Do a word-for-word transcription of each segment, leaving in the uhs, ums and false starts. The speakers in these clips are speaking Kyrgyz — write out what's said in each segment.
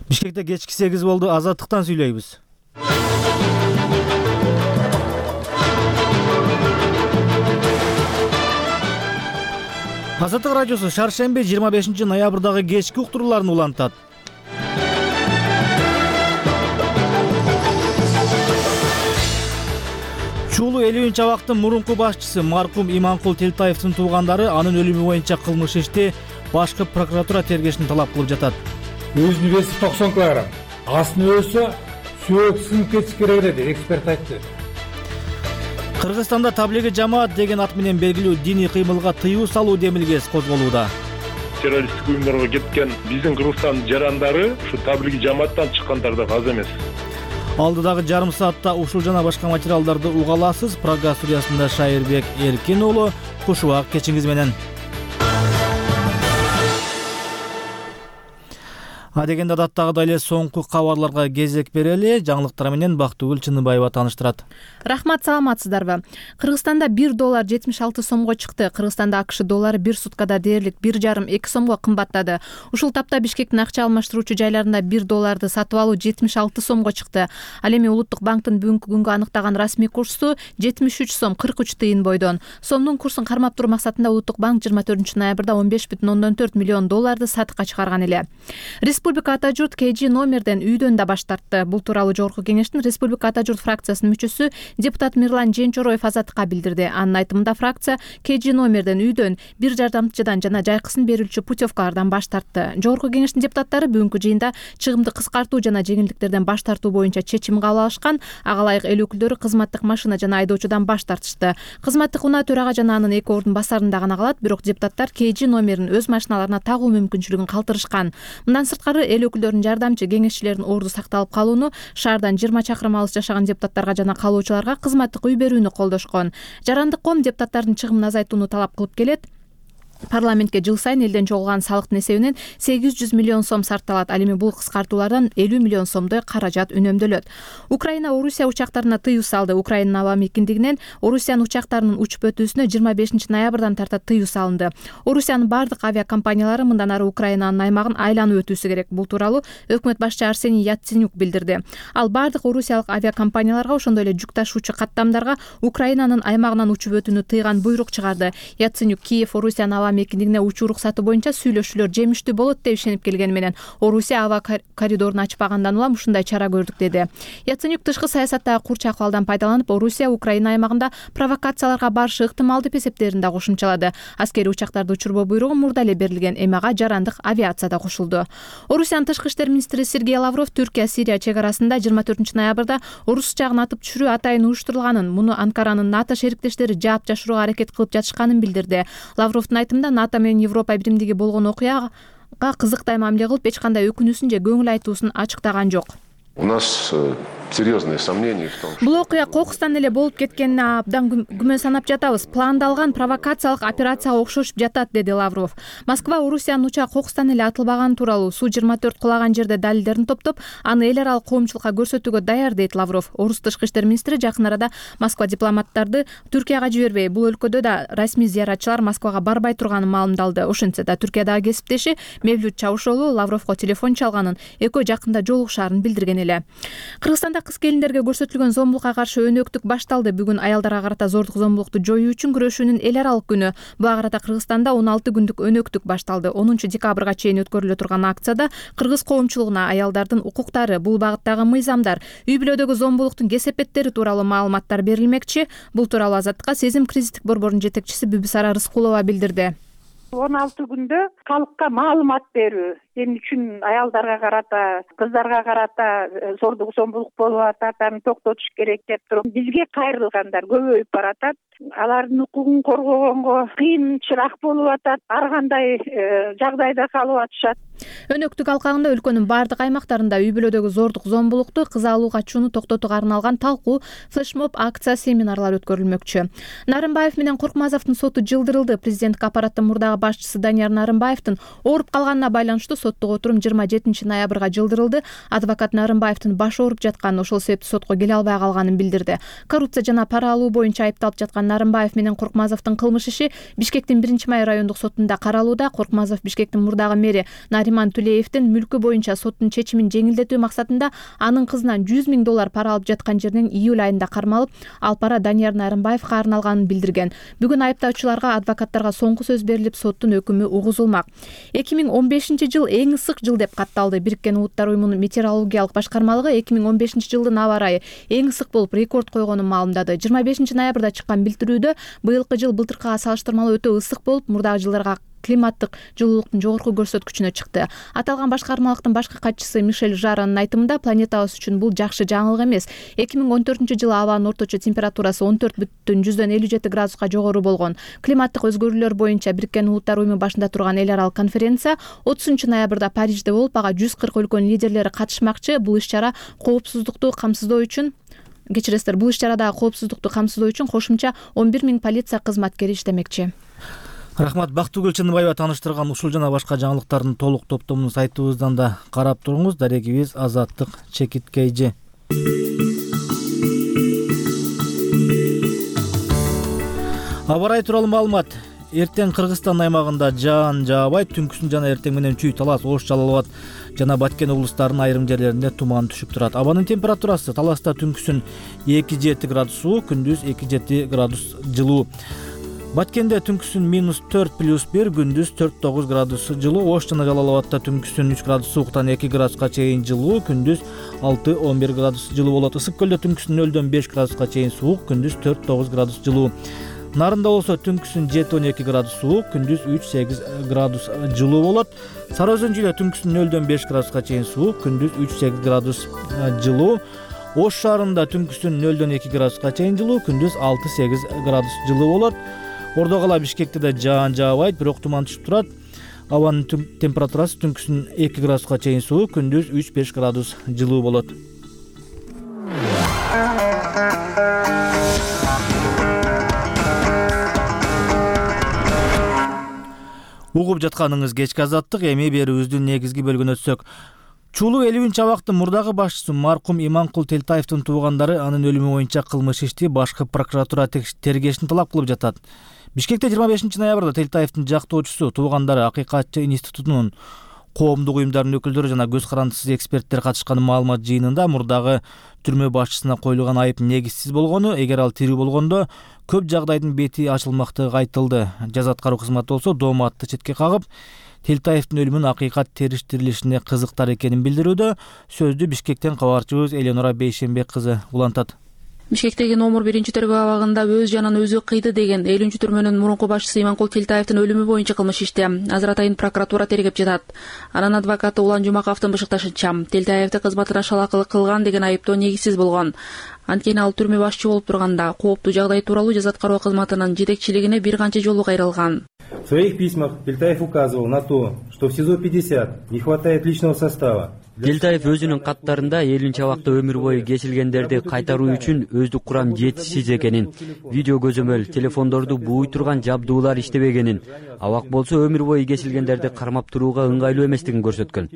Бишкекте кечки сегиз болду. Азаттыктан сүйлөйбүз. Азаттык радиосу шаршемби жыйырма бешинчи ноябрдагы кечки уктурууларын улантат. Чуулу элүүнчү абактын мурунку башчысы маркум Иманкул Телтаевдин туугандары анын өлүмү боюнча кылмыш ишти башкы прокуратура тергешин талап кылып жатат. Өзүнүн веси токсон килограмм. Астына өлсө сөөк сынып кетиш керек эле деп эксперт айтты. Кыргызстанда таблиги жамаат деген ат менен белгилүү диний кыймылга тыюу салуу демилгеси козголууда. Террористтик уюмдарга кеткен биздин Кыргызстан жарандары ушу таблиги жамааттан чыккандар да аз эмес. Алдыдагы жарым саатта ушул жана башка материалдарды уга аласыз. Программа студиясында Шайырбек Эркин уулу. Кушубак кечиңиз менен. Адегенде адаттагыдай эле соңку кабарларга кезек берели. Жаңылыктар менен Бактыгүл Чыныбаева тааныштырат. Рахмат, саламатсыздарбы? Кыргызстанда бир доллар жетимиш алты сомго чыкты. Кыргызстанда АКШ доллары бир суткада дээрлик бир жарым эки сомго кымбаттады. Ушул тапта Бишкектин акча алмаштыруучу жайларында бир долларды сатып алуу жетимиш алты сомго чыкты. Ал эми Улуттук банктын бүгүнкү күнгө аныктаган расмий курсу жетимиш үч сом кырк үч тыйын бойдон. Сомдун курсун кармап туруу максатында Улуттук банк жыйырма төртүнчү ноябрда он беш бүтүн ондон төрт миллион долларды сатыкка чыгарган эле. Республика Ата журт КЖ номерден үйдөн да баш тартты. Бул тууралуу Жогорку Кеңештин Республика Ата журт фракциясынын мүчөсү депутат Мирлан Женчороев Азаттыкка билдирди. Анын айтымында фракция КЖ номерден үйдөн, бир жардамчыдан жана жайкысын берүүчү путевкалардан баш тартты. Жогорку Кеңештин депутаттары бүгүнкү жыйында чыгымды кыскартуу жана жеңилдиктерден баш тартуу боюнча чечим кабыл алышкан. Ага ылайык эл өкүлдөрү кызматтык машина жана айдоочудан баш тартышты. Кызматтык унаа төрага жана анын эки ордун басарында гана калат, бирок депутаттар КЖ номерин өз машиналарына тагуу мүмкүнчүлүгүн калтырышкан. Мындан сырткары эл өкүлдөрүнүн жардамчы кеңешчилердин орду сакталып калууну, шаардан жыйырма чакырым алыс жашаган депутаттарга жана калуучуларга кызматтык үй берүүнү колдошкон. Жарандык ком депутаттардын чыгымын азайтууну талап кылып келет. Парламентке жыл сайын элден чогулган салыктын эсебинен сегиз жүз миллион сом сарпталат. Ал эми бул кыскартуулардан элүү миллион сомдой каражат үнөмдөлөт. Украина Орусия учактарына тыюу салды. Украинанын аба мекендигинен Орусиянын учактарынын учуп өтүүсүнө жыйырма бешинчи ноябрдан тарта тыюу салынды. Орусиянын бардык авиакомпаниялары мындан ары Украинанын аймагын айланып өтүүсү керек. Бул тууралуу өкмөт башчы Арсений Яценюк билдирди. Ал бардык орусиялык авиакомпанияларга, ошондой эле жүк ташуучу каттамдарга Украинанын аймагынан учуп өтүүнү тыйган буйрук чыгарды. Яценюк Киев Орусиянын аба мекендигине учуу уруксаты боюнча сүйлөшүүлөр жемиштүү болот деп ишенип келгени менен Орусия аба коридорун ачпагандан улам ушундай чара көрдүк деди. Яценюк тышкы саясаттагы курч акыбалдан пайдаланып, Орусия Украина аймагында провокацияларга барышы ыктымал деп эсептерин да кошумчалады. Аскерий учактарды учурбоо буйругу мурда эле берилген, эми ага жарандык авиация да кошулду. Орусиянын тышкы иштер министри Сергей Лавров Түркия-Сирия чек арасында жыйырма төртүнчү ноябрда орус жагын атып түшүрүү атайын уюштурулганын, муну Анкаранын НАТО шериктештери жаап жашырууга аракет кылып жатышканын билдирди. Лавровдун айтымында НАТО менен Европа биримдиги болгон окуяга кызыктай мамиле кылып, эч кандай өкүнүүсүн же көңүл айтуусун ачыктаган жок. У нас серьезные сомнения в том, что бул окуя кокустан эле болуп кеткенине абдан күмөн санап жатабыз. Пландалган провокациялык операцияга окшошуп жатат, деди Лавров. Москва Орусиянын учагы кокустан эле атылбаганы тууралуу Су жыйырма төрт кулаган жерде далилдерин топтоп, аны эл аралык коомчулукка көрсөтүүгө даяр, дейт Лавров. Орус тышкы иштер министри жакын арада Москва дипломаттарды Түркияга жибербей, бул өлкөдө да расмий зыяратчылар Москвага барбай турганын маалымдалды. Ошентсе да Түркиядагы кесиптеши Мевлют Чавушоглу Лавровго телефон чалганын, экөө жакында жолугушаарын билдирген эле. Кыргызстанда кыз келиндерге көрсөтүлгөн зомбулукка каршы өнөктүк башталды. Бүгүн аялдарга карата зордук зомбулукту жоюу үчүн күрөшүүнүн эл аралык күнү. Буга карата Кыргызстанда он алты күндүк өнөктүк башталды. онунчу декабрга чейин өткөрүлө турган акцияда кыргыз коомчулугуна аялдардын укуктары, бул багыттагы мыйзамдар, үй бүлөдөгү зомбулуктун кесепеттери тууралуу маалыматтар берилмекчи. Бул тууралуу Азаттыкка Сезим кризистик борборунун жетекчиси Бүбүсара Рыскулова билдирди. он алты күндө калкка маалымат берүү, эмне үчүн аялдарга карата, кыздарга карата зордук зомбулук болуп атат, аны токтотуш керек деп туруп бизге кайрылгандар көбөйүп баратат. Алардын укугун коргогонго кыйынчыраак болуп атат, ар кандай жагдайда калып атышат. Өнөктүк алкагында өлкөнүн бардык аймактарында үй бүлөдөгү зордук зомбулукту, кыз алуу качууну токтотууга арналган талкуу, флешмоб, акция, семинарлар өткөрүлмөкчү. Нарымбаев менен Коркмазовдун соту жылдырылды. Президенттик аппараттын мурдагы башчысы Данияр Нарымбаевдин ооруп калганына байланыштуу соттук отурум жыйырма жетинчи ноябрга жылдырылды. Адвокат Нарымбаевдин башы ооруп жатканын, ошол себептүү сотко келе албай калганын билдирди. Коррупция жана пара алуу боюнча айыпталып жаткан Нарымбаев менен Коркмазовдун кылмыш иши Бишкектин биринчи май райондук сотунда каралууда. Коркмазов Бишкектин мурдагы мэри Нариман Тулеевдин мүлкү боюнча соттун чечимин жеңилдетүү максатында анын кызынан жүз миң доллар пара алып жаткан жеринен июль айында кармалып, ал пара Данияр Нарымбаевга арналганын билдирген. Бүгүн айыптоочуларга адвокаттарга соңку сөз берилип, соттун өкүмү угузулмак. эки миң он бешинчи жыл эң ысык жыл деп катталды. Бириккен Улуттар уюмунун метеорологиялык башкармалыгы эки миң он бешинчи жылдын аба ырайы эң ысык болуп рекорд койгонун маалымдады. жыйырма бешинчи ноябрда чыккан билдирүүдө быйылкы жыл былтыркыга салыштырмалуу өтө ысык болуп, мурдагы жылдарга климаттык жылуулуктун жогорку көрсөткүчүнө чыкты. Аталган башкармалыктын башкы катчысы Мишель Жаранын айтымында, планетабыз үчүн бул жакшы жаңылык эмес. эки миң он төртүнчү жылы абанын орточо температурасы он төрт бүтүн жүздөн элүү жети градуска жогору болгон. Климаттык өзгөрүүлөр боюнча Бириккен Улуттар уюму башында турган эл аралык конференция отузунчу ноябрда Парижде болуп, ага жүз кырк өлкөнүн лидерлери катышмакчы. Бул иш-чара коопсуздукту камсыздоо үчүн Кечиресиздер, бул иш-чарадагы коопсуздукту камсыздоо үчүн кошумча он бир миң полиция кызматкери иштемекчи. Рахмат. Бактыгүл Чыныбаева тааныштырган ушул жана башка жаңылыктардын толук топтомун сайтыбыздан да карап туруңуз. Дарегибиз Азаттык Чекиткейжи. Аба ырайы тууралуу маалымат. Эртең Кыргызстан аймагында жаан жаабайт, түнкүсүн жана эртең менен чүй, Талас, Ош, Жалал Абад жана Баткен облустарынын айрым жерлеринде туман түшүп турат. Абанын температурасы Таласта түнкүсүн эки жети градус суук, күндүз эки жети градус жылуу. Баткенде түнкүсүн минус төрт плюс бир, күндүз төрт тогуз градус жылуу. Ош жана Жалал Абадта түнкүсүн үч градус сууктан эки градуска чейин жылуу, күндүз алты он бир градус жылуу болот. Ысык көлдө түнкүсүн нөлдөн беш градуска чейин суук, күндүз төрт тогуз градус жылуу. Нарында болсо түнкүсүн жети он эки градус суук, күндүз үч сегиз градус жылуу болот. Сары Өзөн жүйдө түнкүсүн нөлдөн беш градуска чейин суук, күндүз үч сегиз градус жылуу. Ош шаарында түнкүсүн нөлдөн эки градуска чейин жылуу, күндүз алты сегиз градус жылуу болот. Ордо кала Бишкекте да жаан жаабайт, бирок туман түшүп турат. Абанын температурасы түнкүсүн эки градуска чейин суук, күндүз үч беш градус жылуу болот. Угуп жатканыңыз кечки азаттык, эми берүүбүздүн негизги бөлүгүнө өтсөк. Чулуу элүүнчү абактын мурдагы башчысы маркум Иманкул Телтаевдин туугандары анын өлүмү боюнча кылмыш ишти башкы прокуратура тергешин талап кылып жатат. Бишкекте жыйырма бешинчи ноябрда Телтаевдин жактоочусу, туугандары, Акыйкатчы институтунун, коомдук уюмдардын өкүлдөрү жана көз карандысыз эксперттер катышкан маалымат жыйынында мурдагы түрмө башчысына коюлган айып негизсиз болгону, эгер ал тирүү болгондо көп жагдайдын бети ачылмактыгы айтылды. Жаза аткаруу кызматы болсо дооматты четке кагып, Телтаевдин өлүмүн акыйкат териштирилишине кызыктар экенин билдирүүдө. Сөздү Бишкектен кабарчыбыз Эленора Бейшембек кызы улантат. Бишкектеги номер биринчи тергөө абагында өз жанын өзү кыйды деген элүүнчү түрмөнүн мурунку башчысы Иманкул Телтаевдин өлүмү боюнча кылмыш ишти азыр атайын прокуратура тергеп жатат. Анын адвокаты Улан Жумаковдун бышыкташынча, Телтаевди кызматына шалакылык кылган деген айыптоо негизсиз болгон. Анткени ал түрмө башчы болуп турганда кооптуу жагдай тууралуу жаза аткаруу кызматынын жетекчилигине бир канча жолу кайрылган. В своих письмах Телтаев указывал на то, что в СИЗО пятьдесят не хватает личного состава. Телтаев өзүнүн каттарында элүүнчү абакта өмүр бою кесилгендерди кайтаруу үчүн өздүк курам жетишсиз экенин, видео көзөмөл, телефондорду бууй турган жабдуулар иштебегенин, абак болсо өмүр бою кесилгендерди кармап турууга ыңгайлуу эместигин көрсөткөн.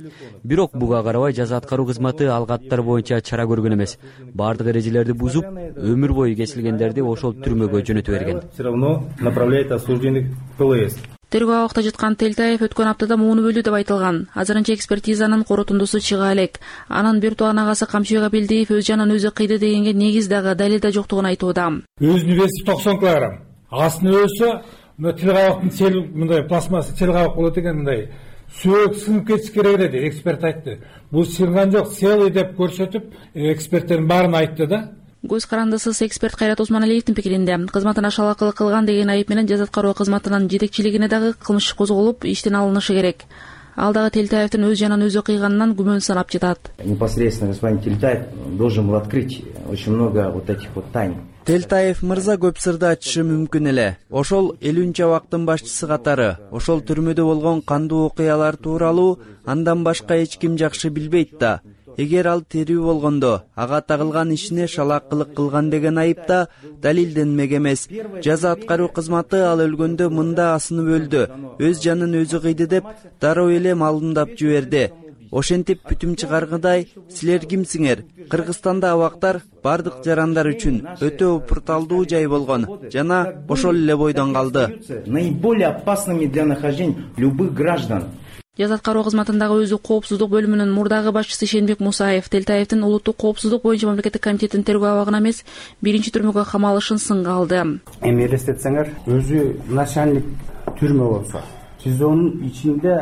Бирок буга карабай жаза аткаруу кызматы ал каттар боюнча чара көргөн эмес. Бардык эрежелерди бузуп, өмүр бою кесилгендерди ошол түрмөгө жөнөтө берген. Все равно направляет осужденных в ПЛС. Тергөө абакта жаткан Телтаев өткөн аптада мууну бөлдү деп айтылган. Азырынча экспертизанын корутундусу чыга элек. Анын биртуган агасы Камчыбек Абилдиев өз жанын өзү кыйды дегенге негиз дагы далил да жоктугун айтууда. Өзүнүн веси токсон килограмм. Астын өсө, мына тил кабактын сел мындай пластмасса тил кабак болот экен, мындай сөөк сынып кетиш керек деди, эксперт айтты. Бул сынган жок, целый деп көрсөтүп, эксперттердин баарын айтты да. Көз карандысыз эксперт Кайрат Осмоналиевдин пикиринде кызматына шалакылык кылган деген айып менен жаза аткаруу кызматынын жетекчилигине дагы кылмыш козголуп, иштен алынышы керек. Ал дагы Телтаевдин өз жанын өзү кыйганынан күмөн санап жатат. Непосредственно господин Телтаев должен был открыть очень много вот этих вот тайн. Телтаев мырза көп сырды ачышы мүмкүн эле. Ошол элүүнчү абактын башчысы катары, ошол түрмөдө болгон кандуу окуялар тууралуу андан башка эч ким жакшы билбейт да. Эгер ал тирүү болгондо, ага тагылган ишине шалакылык кылган деген айыпта далилденмек эмес. Жаза аткаруу кызматы ал өлгөндө мында асынып өлдү, өз жанын өзү кыйды деп дароо эле маалымдап жиберди. ошентип бүтүм чыгаргыдай силер кимсиңер? Кыргызстанда абактар бардык жарандар үчүн өтө упурталдуу жай болгон жана ошол эле бойдон калды. Наиболее опасными для нахождения любых граждан. Жаза аткаруу кызматындагы өзү коопсуздук бөлүмүнүн мурдагы башчысы Шенбек Мусаев Телтаевдин улуттук коопсуздук боюнча мамлекеттик комитетинин тергөө абагына эмес, биринчи түрмөгө камалышын сынга алды. Эми элестетсеңер, өзү начальник түрмө болсо, СИЗОнун ичинде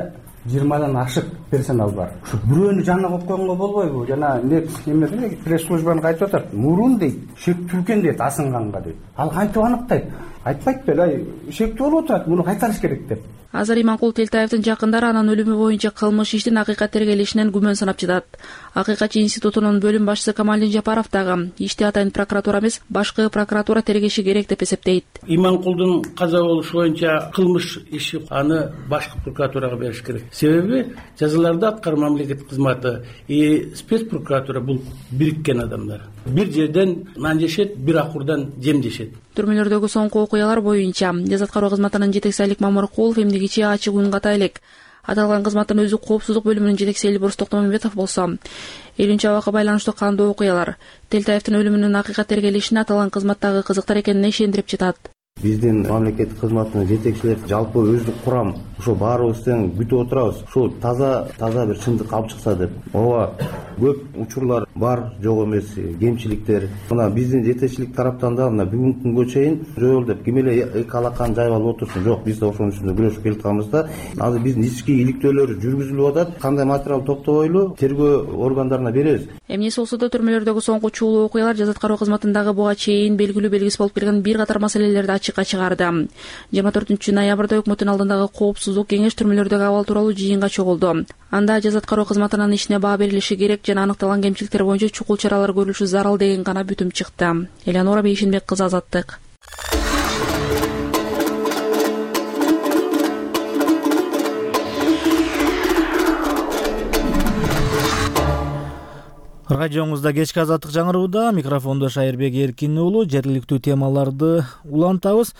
жыйырмадан ашык персонал бар. Ушу бирөөнү жанына коюп койгонго болбойбу? Жана эмне пресс-службаны айтып атат. Мурун дейт, шектүүлгөн дейт асынганга дейт. Ал кантип аныктайт? Айтпайт беле, ай шектүү болуп атат, муну кайтарыш керек деп. Азыр Иманкул Телтаевдин жакындары анын өлүмү боюнча кылмыш иштин акыйкат тергелишинен күмөн санап жатат. Акыйкатчы институтунун бөлүм башчысы Камалдин Жапаров дагы ишти атайын прокуратура эмес, башкы прокуратура тергеши керек деп эсептейт. Иманкулдун каза болушу боюнча кылмыш иши аны башкы прокуратурага бериш керек. Себеби жазаларды аткаруу мамлекеттик кызматы и спецпрокуратура бул бириккен адамдар. Бир жерден нан жешет, бир акурдан жем жешет. Түрмөлөрдөгү соңку окуялар боюнча жаза аткаруу кызматынын жетекчиси Алик Мамыркулов эмне кечээ ачык үн ката элек. Аталган кызматтын өзү коопсуздук бөлүмүнүн жетекчиси Элбурс Токтомамбетов болсо, элүүнчү абакка байланыштуу кандуу окуялар, Телтаевдин өлүмүнүн акыйкат тергелишине аталган кызматтагы кызыктар экенине ишендирип жатат. Биздин мамлекеттик кызматтын жетекчилери жалпы өздүк курам ошо баарыбыз тең күтүп отурабыз. Ушул таза таза бир чындык алып чыкса деп. Ооба, көп учурлар бар, жок эмес, кемчиликтер. Мына биздин жетекчилик тараптан да мына бүгүнкү күнгө чейин жол деп ким эле эки алаканы жайып алып отурсун. Жок, биз да ошонун үстүндө күрөшүп келатканбыз да. Азыр биздин ички иликтөөлөр жүргүзүлүп атат. Кандай материал топтобойлу тергөө органдарына беребиз. Эмнеси болсо да түрмөлөрдөгү соңку чуулуу окуялар жаза аткаруу кызматындагы буга чейин белгилүү белгиси болуп келген бир катар маселелерди ачыкка чыгарды. жыйырма төртүнчү ноябрда өкмөттүн алдындагы коопсуздук кеңеш түрмөлөрдөгү абал тууралуу жыйынга чогулду. Анда жаза аткаруу кызматынын ишине баа берилиши керек жана аныкталган кемчиликтер боюнча чукул чаралар көрүлүшү зарыл деген гана бүтүм чыкты. Элеонора Бейшенбек кызы, Азаттык. Радиоңузда кечки Азаттык жаңырууда, микрофондо Шайырбек Эркин уулу. Жергиликтүү темаларды улантабыз.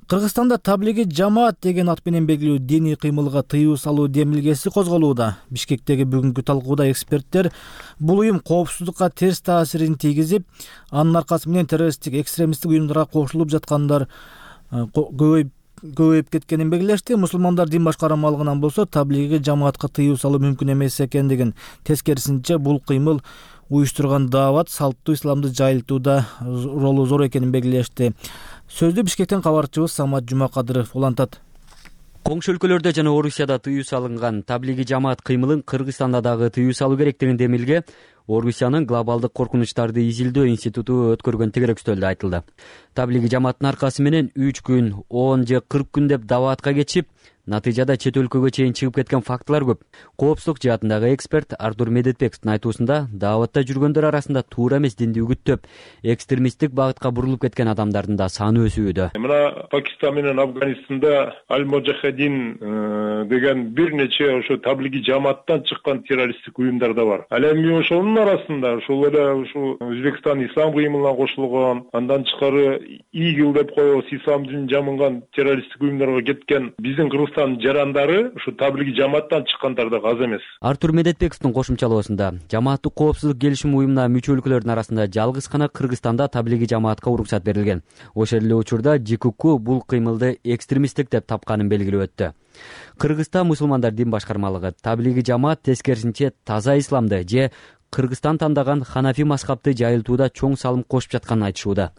Кыргызстанда таблиги жамаат деген ат менен белгилүү диний кыймылга тыюу салуу демилгеси козголууда. Бишкектеги бүгүнкү талкууда эксперттер бул уюм коопсуздукка терс таасирин тийгизип, анын аркасы менен террористтик, экстремисттик уюмдарга кошулуп жаткандар көбөйүп көбөйүп кеткенин белгилешти. Мусулмандар дин башкармалыгынан болсо таблиги жамаатка тыюу салуу мүмкүн эмес экендигин, тескерисинче бул кыймыл уюштурган даават салттуу исламды жайылтууда ролу зор экенин белгилешти. Сөздү Бишкектен кабарчыбыз Самат Жумакадыров улантат. Коңшу өлкөлөрдө жана Орусияда тыюу салынган таблиги жамаат кыймылын Кыргызстанда дагы тыюу салуу керек деген демилге Орусиянын глобалдык коркунучтарды изилдөө институту өткөргөн тегеректөлдө айтылды. Таблиги жамааттын аркасы менен үч күн, он же кырк күн деп дааватка кетишип, натыйжада чет өлкөгө чейин чыгып кеткен фактылар көп. Коопсуздук жаатындагы эксперт Артур Медетбековдун айтуусунда, дааватта жүргөндөр арасында туура эмес динди үгүттөп, экстремисттик багытка бурулуп кеткен адамдардын да саны өсүүдө. Мына Пакистан менен Афганистанда Аль-Муджахидин деген бир нече ошо таблиги жамааттан чыккан террористтик уюмдар да бар. Ал эми ошонун арасында ошол эле ушу Өзбекстан ислам кыймылына кошулган, андан тышкары ИГИЛ деп коебуз, ислам динин жамынган террористтик уюмдарга кеткен биздин Кыргызстан жарандары ушу таблиги жамааттан чыккандар да аз эмес. Артур Медетбековдун кошумчалоосунда, жамааттык коопсуздук келишим уюмуна мүчө өлкөлөрдүн арасында жалгыз гана Кыргызстанда таблиги жамаатка уруксат берилген. Ошол эле учурда ЖКК бул кыймылды экстремисттик деп тапканын белгилеп өттү. Кыргызда мусулмандар дин башкармалыгы таблиги жамаат тескерисинче таза исламды же Кыргызстан тандаган ханафи мазхабты жайылтууда чоң салым кошуп жатканын айтышууда.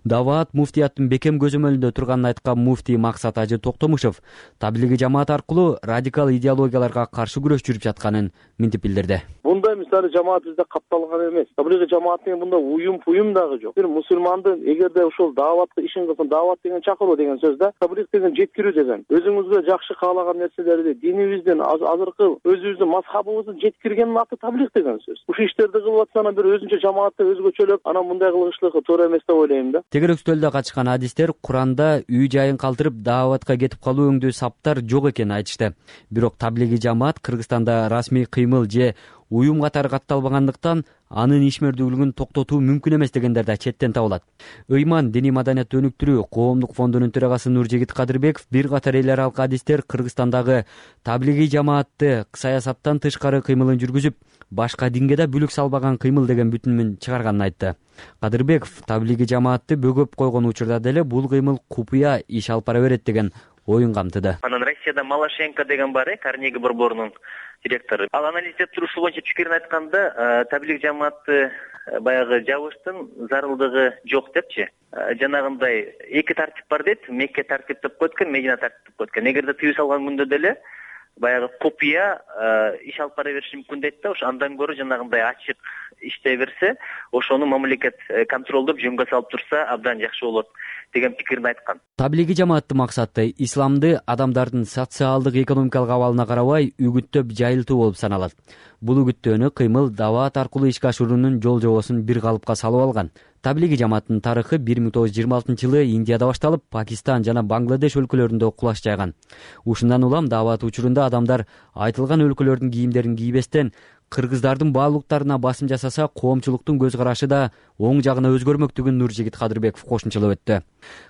Даават муфтияттын бекем көзөмөлүндө турганын айткан муфтий Максат Ажы Токтомушев таблиги жамаат аркылуу радикал идеологияларга каршы күрөш жүрүп жатканын мынтип билдирди. Мындай мисалы жамаат бизде капталган эмес. Таблиги жамаат деген мында уюм уюм дагы жок. Бир мусулмандын эгерде ошол дааватты ишин кылсын, даават деген чакыруу деген сөз да, таблиг деген жеткирүү деген. Өзүңүзгө жакшы каалаган нерселерди, динибиздин, азыркы өзүбүздүн мазхабыбыздын жеткиргендин аты таблиг деген сөз. Ушул иштерди кылып атсана бир өзүнчө жамаатты өзгөчөлөп, анан мындай кылышлыгы туура эмес деп ойлойм да. Тегеректөлдө катышкан адистер Куранда үй жайын калтырып дааватка кетип калуу өңдүү саптар жок экенин айтышты. Бирок таблиги жамаат Кыргызстанда расмий кыймыл же уюм катары катталбагандыктан анын ишмердүүлүгүн токтотуу мүмкүн эмес дегендер да четтен табылат. Ыйман диний маданиятты өнүктүрүү коомдук фондунун төрагасы Нуржигит Кадырбеков бир катар эл аралык адистер Кыргызстандагы таблигий жамаатты саясаттан тышкары кыймылын жүргүзүп, башка динге да бүлүк салбаган кыймыл деген бүтүнүн чыгарганын айтты. Кадырбеков таблигий жамаатты бөгөп койгон учурда деле бул кыймыл купуя иш алып бара берет деген оюн камтыды. Анан Россияда Малашенко деген бар, Карнеги борборунун директору. Ал анализдеп турушу боюнча пикирин айтканда, таблиг жамаатты баягы жабыштын зарылдыгы жок депчи. Жанагындай эки тартип бар дейт. Мекке тартип деп койткон, Медина тартип деп койткон. Эгерде тыюу салган күндө деле баягы купуя иш алып бара бериши мүмкүн дейт да, ошо андан көрө жанагындай ачык иштей берсе, ошону мамлекет контролдоп жөнгө салып турса абдан жакшы болот деген пикирин айткан. Таблигий жамааттын максаты исламды адамдардын социалдык экономикалык абалына карабай үгүттөп жайылтуу болуп саналат. Бул үгүттөөнү кыймыл даават аркылуу ишке ашыруунун жол жобосун бир калыпка салып алган. Таблигий жамааттын тарыхы бир миң тогуз жүз жыйырма алтынчы жылы Индияда башталып, Пакистан жана Бангладеш өлкөлөрүндө кулаш жайган. Ушундан улам даават учурунда адамдар айтылган өлкөлөрдүн кийимдерин кийбестен кыргыздардын баалуулуктарына басым жасаса, коомчулуктун көз карашы да оң жагына өзгөрмөктүгүн Нуржигит Кадырбеков кошумчалап өттү.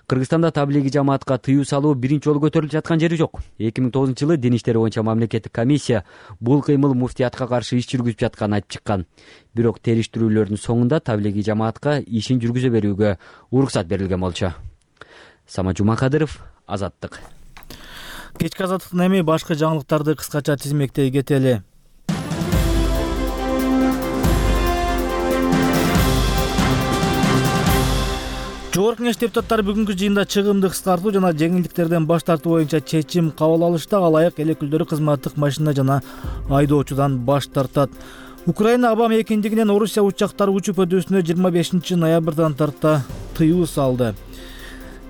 Кыргызстанда таблигий жамаатка тыюу салуу биринчи жолу көтөрүлүп жаткан жери жок. эки миң тогузунчу жылы дин иштери боюнча мамлекеттик комиссия бул кыймыл муфтиятка каршы иш жүргүзүп жатканын айтып чыккан. Бирок териштирүүлөрдүн соңунда таблигий жамаатка ишин жүргүзө берүүгө уруксат берилген болчу. Самат Жумакадыров, Азаттык. Кечки азаттыктан эми башка жаңылыктарды кыскача тизмектей кетели. Жогорку Кеңеш депутаттары бүгүнкү жыйында чыгымды кыскартуу жана жеңилдиктерден баш тартуу боюнча чечим кабыл алышты. Алайык эл өкүлдөрү кызматтык машина жана айдоочудан баш тартат. Украина Абам экиндигинен Орусия учактары учуп өтүүсүнө жыйырма бешинчи ноябрдан тарта тыюу салды.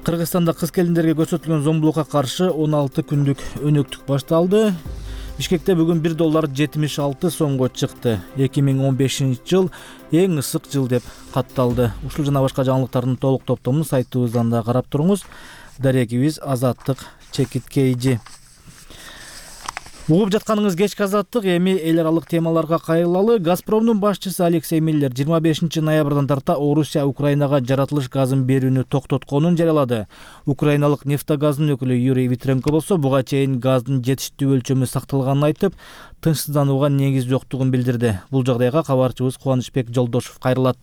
Кыргызстанда кыз келиндерге көрсөтүлгөн зомбулукка каршы он алты күндүк өнөктүк башталды. Бишкекте бүгүн бир доллар жетимиш алты сомго чыкты. эки миң он бешинчи жыл эң ысык жыл деп катталды. Ушул жана башка жаңылыктардын толук топтомун сайтыбыздан да карап туруңуз. Дарегибиз Азаттык чекиткейжи. Угуп жатканыңыз кечки азаттык. Эми эл аралык темаларга кайрылалы. Газпромдун башчысы Алексей Миллер жыйырма бешинчи ноябрдан тарта Орусия Украинага жаратылыш газын берүүнү токтотконун жарыялады. Украиналык нефтогазынын өкүлү Юрий Витренко болсо буга чейин газдын жетиштүү өлчөмү сакталганын айтып, тынчсызданууга негиз жоктугун билдирди. Бул жагдайга кабарчыбыз Кубанычбек Жолдошов кайрылат.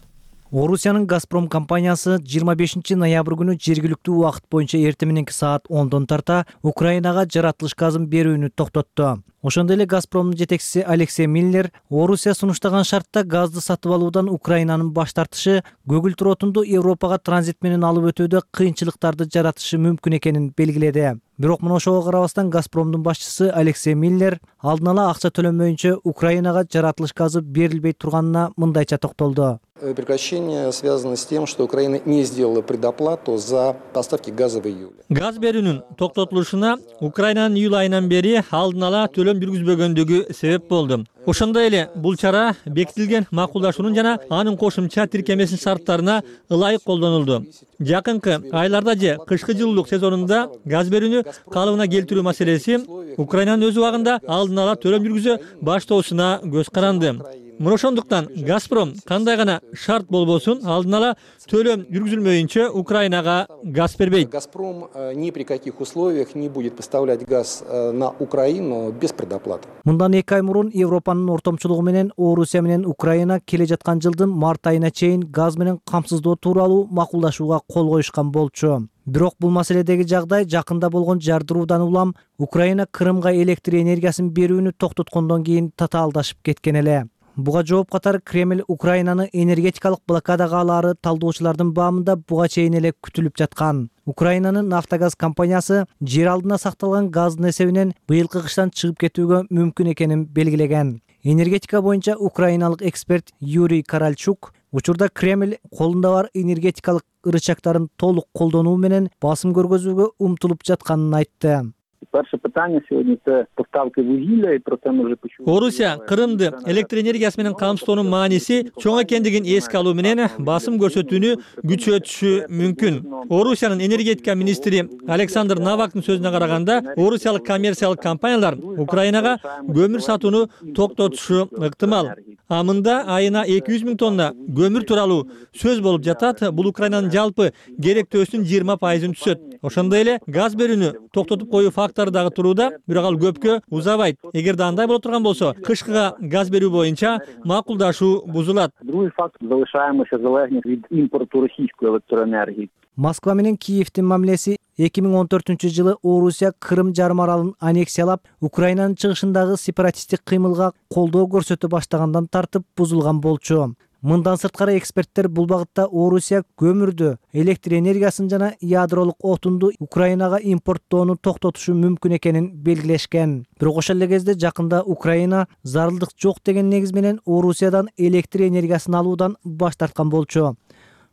Орусиянын Газпром компаниясы жыйырма бешинчи ноябрь күнү жергиликтүү убакыт боюнча эртең мененки саат ондон тарта Украинага жаратылыш газын берүүнү токтотту. Ошондой эле Газпромдун жетекчиси Алексей Миллер Орусия сунуштаган шартта газды сатып алуудан Украинанын баш тартышы көгүлтүр отунду Европага транзит менен алып өтүүдө кыйынчылыктарды жаратышы мүмкүн экенин белгиледи. Бирок мына ошого карабастан Газпромдун башчысы Алексей Миллер алдын ала акча төлөнбөйүнчө Украинага жаратылыш газы берилбей турганына мындайча токтолду. Прекращение связано с тем, что Украина не сделала предоплату за поставки газа в июле. Газ берүүнүн токтотулушуна Украинанын июль айынан бери алдын ала төлөм жүргүзбөгөндүгү себеп болду. Ошондой эле бул чара бекитилген макулдашуунун жана анын кошумча тиркемесинин шарттарына ылайык колдонулду. Жакынкы айларда же кышкы жылуулук сезонунда газ берүүнү калыбына келтирүү маселеси Украинанын өз убагында алдын ала төлөм жүргүзө баштоосуна көз каранды. Мына ошондуктан Газпром кандай гана шарт болбосун алдын ала төлөм жүргүзүлмөйүнчө Украинага газ бербейт. Газпром ни при каких условиях не будет поставлять газ на Украину без предоплаты. Мындан эки ай мурун Европанын ортомчулугу менен Орусия менен Украина келе жаткан жылдын март айына чейин газ менен камсыздоо тууралуу макулдашууга кол коюшкан болчу. Бирок бул маселедеги жагдай жакында болгон жардыруудан улам Украина Крымга электр энергиясын берүүнү токтоткондон кийин татаалдашып кеткен эле. Буга жооп катары Кремль Украинаны энергетикалык блокадага алаары талдоочулардын баамында буга чейин эле күтүлүп жаткан. Украинанын Нафтогаз компаниясы жер алдына сакталган газдын эсебинен быйылкы кыштан чыгып кетүүгө мүмкүн экенин белгилеген. Энергетика боюнча украиналык эксперт Юрий Каральчук учурда Кремль колунда бар энергетикалык ырычактарын толук колдонуу менен басым көргөзүүгө умтулуп жатканын айтты. Перше питання сьогодні – це поставки вугілля, і про це ми вже почули. Орусия Кырымды электр энергиясы менен камсыздоонун мааниси чоң экендигин эске алуу менен басым көрсөтүүнү күчөтүшү мүмкүн. Орусиянын энергетика министри Александр Навактын сөзүнө караганда, орусиялык коммерциялык компаниялар Украинага көмүр сатууну токтотушу ыктымал. А мында айына эки жүз миң тонна көмүр тууралуу сөз болуп жатат. Бул Украинанын жалпы керектөөсүнүн жыйырма пайызын түзөт. Ошондой эле газ берүүнү токтотуп коюу фактору дагы турууда, бирок ал көпкө узабайт. Эгерде андай боло турган болсо, кышкыга газ берүү боюнча макулдашуу бузулат. Другий факт – залишаемся залежні від імпорту російської електроенергії. Москва менен Киевдин мамилеси эки миң он төртүнчү жылы Орусия Кырым жарым аралын аннексиялап, Украинанын чыгышындагы сепаратисттик кыймылга колдоо көрсөтө баштагандан тартып бузулган болчу. Мындан сырткары эксперттер бул багытта Орусия көмүрдү, электр энергиясын жана ядролук отунду Украинага импорттоону токтотушу мүмкүн экенин белгилешкен. Бирок ошол эле кезде жакында Украина зарылдык жок деген негиз менен Орусиядан электр энергиясын алуудан баш тарткан болчу.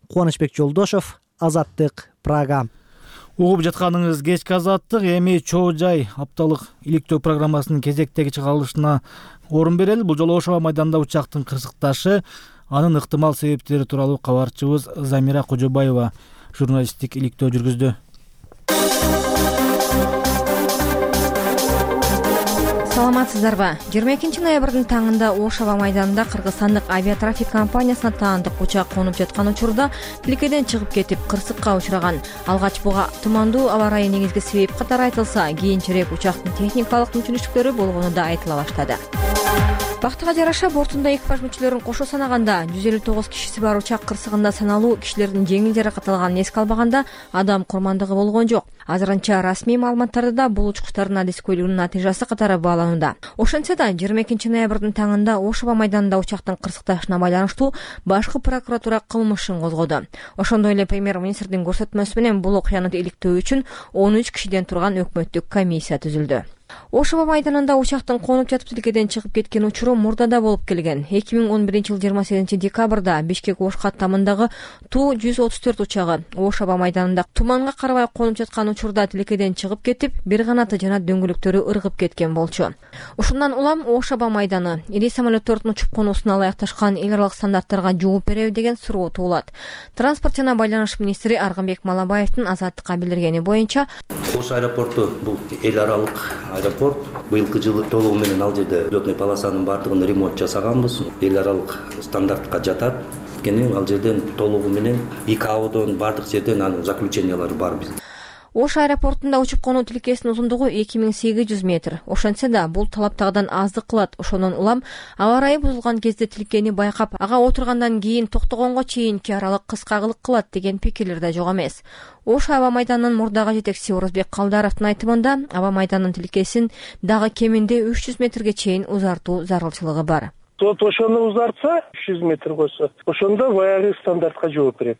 Кубанычбек Жолдошов, Азаттык, Прага. Угуп жатканыңыз кечки Азаттык. Эми чоо жай апталык иликтөө программасынын кезектеги чыгарылышына орун берели. Бул жолу Ош аба майданында учактын кырсыкташы, анын ыктымал себептери тууралуу кабарчыбыз Замира Кожобаева журналисттик иликтөө жүргүздү. Саламатсыздарбы? жыйырма экинчи ноябрдын таңында Ош аба майданында кыргызстандык авиатрафик компаниясына таандык учак конуп жаткан учурда тилкеден чыгып кетип, кырсыкка учураган. Алгач буга тумандуу аба ырайы негизги себеп катары айтылса, кийинчерээк учактын техникалык мүмкүнчүлүктөрү болгону да айтыла баштады. Бактыга жараша бортунда экипаж мүчөлөрүн кошо санаганда жүз элүү тогуз кишиси бар учак кырсыгында саналуу кишилердин жеңил жаракат алганын эске албаганда адам курмандыгы болгон жок. Азырынча расмий маалыматтарда да бул учкучтардын адискөйлүгүнүн натыйжасы катары бааланууда. Ошентсе да жыйырма экинчи ноябрдын таңында Ош аба майданында учактын кырсыкташына байланыштуу башкы прокуратура кылмыш ишин козгоду. Ошондой эле премьер-министрдин көрсөтмөсү менен бул окуяны иликтөө үчүн он үч кишиден турган өкмөттүк комиссия түзүлдү. Ош аба майданында учактын конуп жатып тилкеден чыгып кеткен учуру мурда болуп келген. эки миң он биринчи жылы жыйырма сегизинчи декабрда Бишкек Ош каттамындагы Ту жүз отуз төрт учагы Ош аба майданында туманга карабай конуп жаткан учурда тилкеден чыгып кетип, бир канаты жана дөңгөлөктөрү ыргып кеткен болчу. Ушундан улам Ош аба майданы ири самолеттордун учуп конуусуна ылайыкташкан эл аралык стандарттарга жооп береби деген суроо туулат. Транспорт жана байланыш министри Аргынбек Малабаевдин Азаттыкка билдиргени боюнча, Ош аэропорту бул эл аралык аэропорт. Быйылкы жылы толугу менен ал жерде лётный полосанын баардыгын ремонт жасаганбыз. Эл аралык стандартка жатат. Кene ал жерден толугу менен ИКАОдон баардык жерден анын заключениялары бар биз. Ош аэропортунда учуп конуу тилкесинин узундугу эки миң сегиз жүз метр. Ошентсе да бул талаптагыдан аздык кылат. Ошондон улам аба ырайы бузулган кезде тилкени байкап, ага отургандан кийин токтогонго чейинки аралык кыскагылык кылат деген пикирлер да жок эмес. Ош аба майданынын мурдагы жетекчиси Орозбек Калдаровдун айтымында, аба майданынын тилкесин дагы кеминде үч жүз метрге чейин узартуу зарылчылыгы бар. Вот ошону узартса, үч жүз метр койсо, ошондо баягы стандартка жооп берет.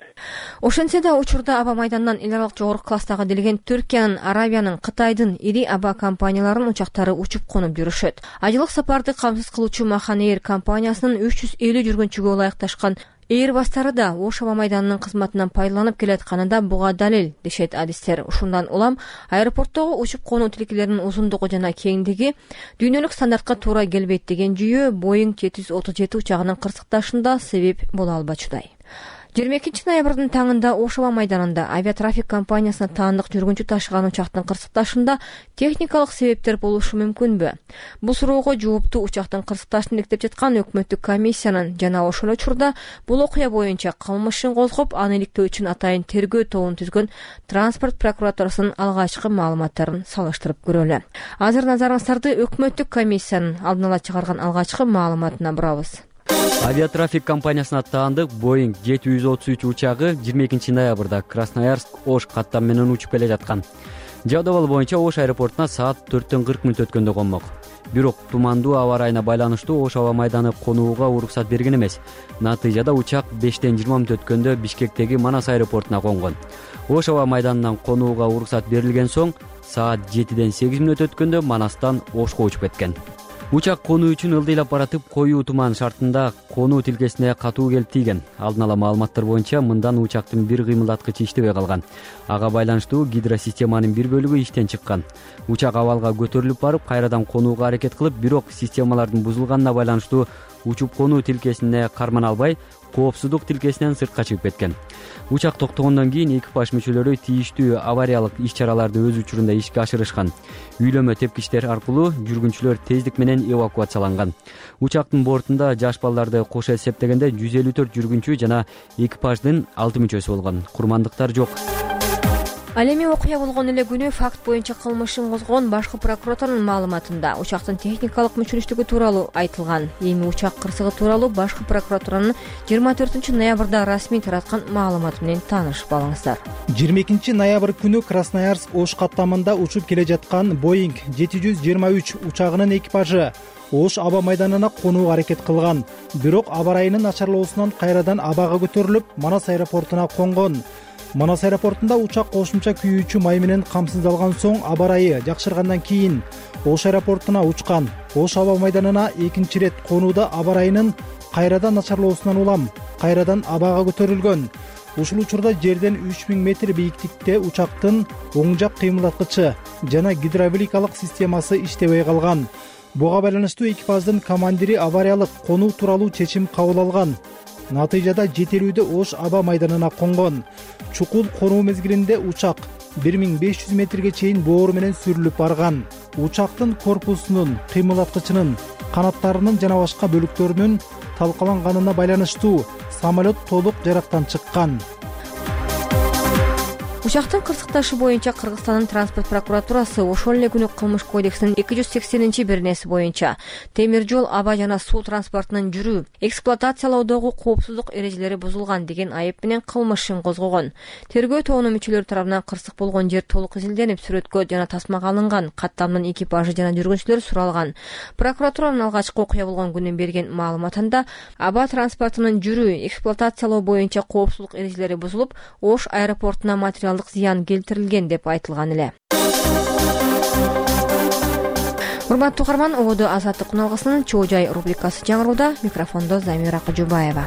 Ошентсе да учурда аба майдандан эл аралык жогорку класстагы делген Түркиянын, Арабиянын, Кытайдын ири аба компанияларынын учактары учуп конуп жүрүшөт. Айылык сапарды камсыз кылуучу Махан Эйр компаниясынын үч жүз элүү жүргүнчүгө ылайыкташкан Эйрбастары да Ош аба майданынын кызматынан пайдаланып келатканы да буга далил, дешет адистер. Ушундан улам аэропорттогу учуп конуу тилкелеринин узундугу жана кеңдиги дүйнөлүк стандартка туура келбейт деген жүйө Боинг жети жүз отуз жети учагынын кырсыкташында себеп боло албачудай. жыйырма экинчи ноябрдын таңында Ош аба майданында авиатрафик компаниясына таандык жүргүнчү ташыган учактын кырсыкташында техникалык себептер болушу мүмкүнбү? Бул суроого жоопту учактын кырсыкташын иликтеп жаткан өкмөттүк комиссиянын жана ошол учурда бул окуя боюнча кылмыш ишин козгоп, аны иликтөө үчүн атайын тергөө тобун түзгөн транспорт прокуратурасынын алгачкы маалыматтарын салыштырып көрөлү. Азыр назарыңыздарды өкмөттүк комиссиянын алдын ала чыгарган алгачкы маалыматына бурабыз. Авиатрафик компаниясына таандык Боинг жети жүз отуз үч учагы жыйырма экинчи ноябрда Красноярск Ош каттам менен учуп келе жаткан. Жабдыбал боюнча Ош аэропортуна саат төрттөн кырк мүнөт өткөндө конмок. Бирок тумандуу аба ырайына байланыштуу Ош аба майданы конууга уруксат берген эмес. Натыйжада учак бештен жыйырма мүнөт өткөндө Бишкектеги Манас аэропортуна конгон. Ош аба майданынан конууга уруксат берилген соң саат жетиден сегиз мүнөт өткөндө Манастан Ошко учуп кеткен. Учак конуу үчүн ылдыйлап баратып, коюу туман шартында конуу тилкесине катуу келип тийген. Алдын ала маалыматтар боюнча мындан учактын бир кыймылдаткычы иштебей калган. Ага байланыштуу гидросистеманын бир бөлүгү иштен чыккан. Учак абалга көтөрүлүп барып, кайрадан конууга аракет кылып, бирок системалардын бузулганына байланыштуу учуп конуу тилкесине кармана албай, коопсуздук тилкесинен сыртка чыгып кеткен. Учак токтогондон кийин экипаж мүчөлөрү тийиштүү авариялык иш-чараларды өз учурунда ишке ашырышкан. Үйлөмө тепкичтер аркылуу жүргүнчүлөр тездик менен эвакуацияланган. Учактын бортунда жаш балдарды кошо эсептегенде жүз элүү төрт жүргүнчү жана экипаждын алты мүчөсү болгон. Курмандыктар жок. Ал эми окуя болгон эле күнү факт боюнча кылмышын козгогон башкы прокуратуранын маалыматында учактын техникалык мүчүлүштүгү тууралуу айтылган. Эми учак кырсыгы тууралуу башкы прокуратуранын жыйырма төртүнчү ноябрда расмий тараткан маалыматы менен таанышып алыңыздар. жыйырма экинчи ноябрь күнү Красноярск Ош каттамында учуп келе жаткан Боинг жети жүз жыйырма үч учагынын экипажы Ош аба майданына конууга аракет кылган. Бирок аба ырайынын начарлоосунан кайрадан абага көтөрүлүп, Манас аэропортуна конгон. Манас аэропортунда учак кошумча күйүүчү май менен камсыздалган соң аба ырайы жакшыргандан кийин Ош аэропортуна учкан. Ош аба майданына экинчи ирет конууда аба ырайынын кайрадан начарлоосунан улам кайрадан абага көтөрүлгөн. Ушул учурда жерден үч миң метр бийиктикте учактын оң жак кыймылдаткычы жана гидравликалык системасы иштебей калган. Буга байланыштуу экипаждын командири авариялык конуу тууралуу чечим кабыл алган. Натыйжада жетелүүдө Ош аба майданына конгон. Чукул конуу мезгилинде учак бир миң беш жүз метрге чейин боору менен сүрүлүп барган. Учактын корпусунун, кыймылдаткычынын, канаттарынын жана башка бөлүктөрүнүн талкаланганына байланыштуу самолет толук жарактан чыккан. Учактын кырсыкташы боюнча Кыргызстандын транспорт прокуратурасы ошол эле күнү кылмыш кодексинин эки жүз сексенинчи беренеси боюнча темир жол, аба жана суу транспортунун жүрүү, эксплуатациялоодогу коопсуздук эрежелери бузулган деген айып менен кылмышын козгогон. Тергөө тобунун мүчөлөрү тарабынан кырсык болгон жер толук изилденип, сүрөткө жана тасмага алынган. Каттамдын экипажы жана жүргүнчүлөр суралган. Прокуратуранын алгачкы окуя болгон күнү берген маалыматында аба транспортунун жүрүү, эксплуатациялоо боюнча коопсуздук эрежелери бузулуп, Ош аэропортуна материал зыян келтирилген деп айтылган эле. Урматтуу угарман, ободо Азаттык күналгысынын Чоо жай рубрикасы жаңырууда. Микрофондо Замира Кожубаева.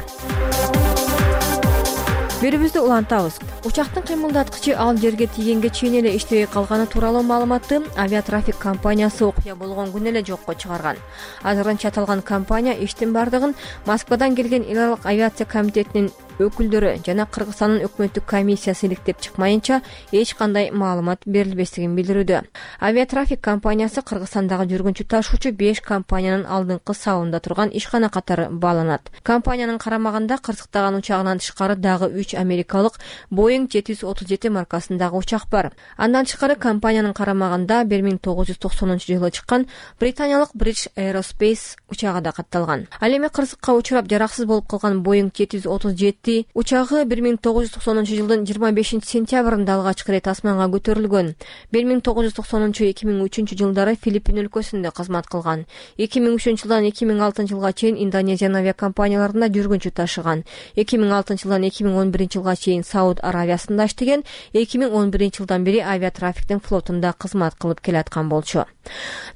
Берүүбүздү улантабыз. Учактын кыймылдаткычы ал жерге тийгенге чейин эле иштебей калганы тууралуу маалыматты авиатрафик компаниясы окуя болгон күнү эле жокко чыгарган. Азырынча аталган компания иштин бардыгын Москвадан келген эл аралык авиация комитетинин өкүлдөрү жана Кыргызстандын өкмөттүк комиссиясы иликтеп чыкмайынча эч кандай маалымат берилбестигин билдирүүдө. Авиатрафик компаниясы Кыргызстандагы жүргүнчү ташуучу беш компаниянын алдыңкы сабында турган ишкана катары бааланат. Компаниянын карамагында кырсыктаган учагынан тышкары дагы үч америкалык Боинг жети жүз отуз жети маркасындагы учак бар. Андан тышкары компаниянын карамагында бир миң тогуз жүз токсонунчу жылы чыккан британиялык British Aerospace учагы да катталган. Ал эми кырсыкка учурап жараксыз болуп калган Боинг жети жүз отуз жети учагы бир миң тогуз жүз токсонунчу жылдын жыйырма бешинчи сентябрында алгачкы ирет асманга көтөрүлгөн. бир миң тогуз жүз токсонунчу эки миң үчүнчү жылдары Филиппин өлкөсүндө кызмат кылган. эки миң үчүнчү жылдан эки миң алтынчы жылга чейин Индонезиянын авиакомпанияларында жүргүнчү ташыган. эки миң алтынчы жылдан эки миң он биринчи жылга чейин Сауд Аравиясында иштеген. эки миң он биринчи жылдан бери авиатрафиктин флотунда кызмат кылып келаткан болчу.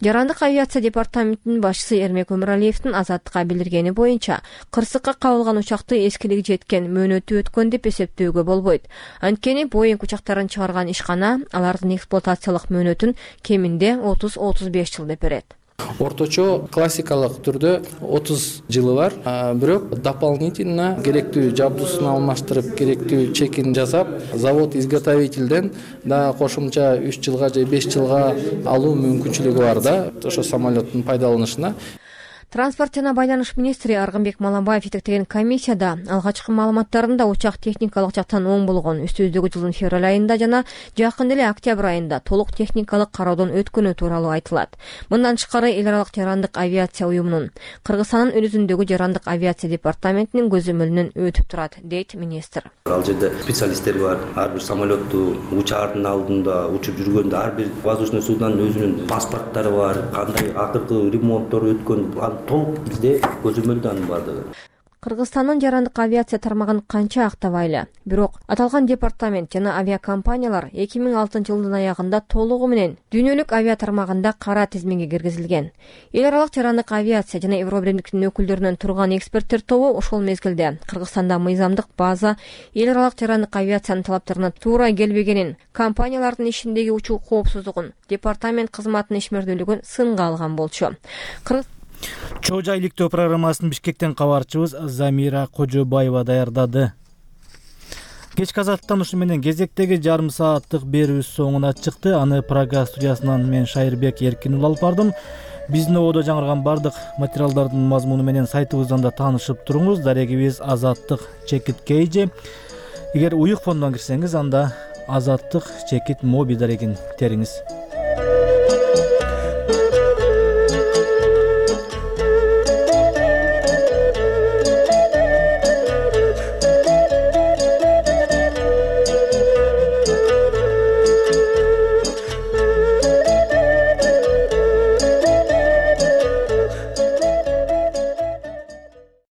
Жарандык авиация департаментинин башчысы Эрмек Өмүралиевдин Азаттыкка билдиргени боюнча, кырсыкка кабылган учакты эскилиги жеткен, мөөнөтү өткөн деп эсептөөгө болбойт. Анткени Боинг учактарын чыгарган ишкана алардын эксплуатациялык мөөнөтүн кеминде отуз отуз беш жыл деп берет. Орточо классикалык түрдө отуз жылы бар, бирок дополнительно керектүү жабдуусун алмаштырып, керектүү чекин жасап, завод изготовительден да кошумча үч жылга же беш жылга алуу мүмкүнчүлүгү бар да, ошо самолеттин пайдаланышына. Транспорт жана байланыш министри Аргынбек Малабаев жетектеген комиссияда алгачкы маалыматтарында учак техникалык жактан оң болгон, үстүбүздөгү жылдын февраль айында жана жакын эле октябрь айында толук техникалык кароодон өткөнү тууралуу айтылат. Мындан тышкары эл аралык жарандык авиация уюмунун Кыргызстандын өзүндөгү жарандык авиация департаментинин көзөмөлүнөн өтүп турат, дейт министр. Ал жерде специалисттер бар. Ар бир самолетту учаардын алдында учуп жүргөндө ар бир воздушный суднонун өзүнүн паспорттору бар, кандай акыркы ремонттор өткөн толук бизде көзөмөлдөн бардыгы. Кыргызстандын жарандык авиация тармагын канча актабайлы. Бирок аталган департамент жана авиакомпаниялар эки миң алтынчы жылдын аягында толугу менен дүйнөлүк авиа тармагында кара тизмеге киргизилген. Эл аралык жарандык авиация жана Евробиримдиктин өкүлдөрүнөн турган эксперттер тобу ошол мезгилде Кыргызстанда мыйзамдык база эл аралык жарандык авиациянын талаптарына туура келбегенин, компаниялардын ишиндеги учуу коопсуздугун, департамент кызматынын ишмердүүлүгүн сынга алган болчу. Чоо жай иликтөө программасын Бишкектен кабарчыбыз Замира Кожобаева даярдады. Кечки азаттан ушу менен кезектеги жарым сааттык берүүбүз соңуна чыкты. Аны Прага студиясынан мен Шайырбек Эркин алып бардым. Биздин ободо жаңырган бардык материалдардын мазмуну менен сайтыбыздан да таанышып туруңуз. Дарегибиз азаттык чекит кейже. Эгер уюк фондон кирсеңиз, анда азаттык чекит моби дарегин териңиз.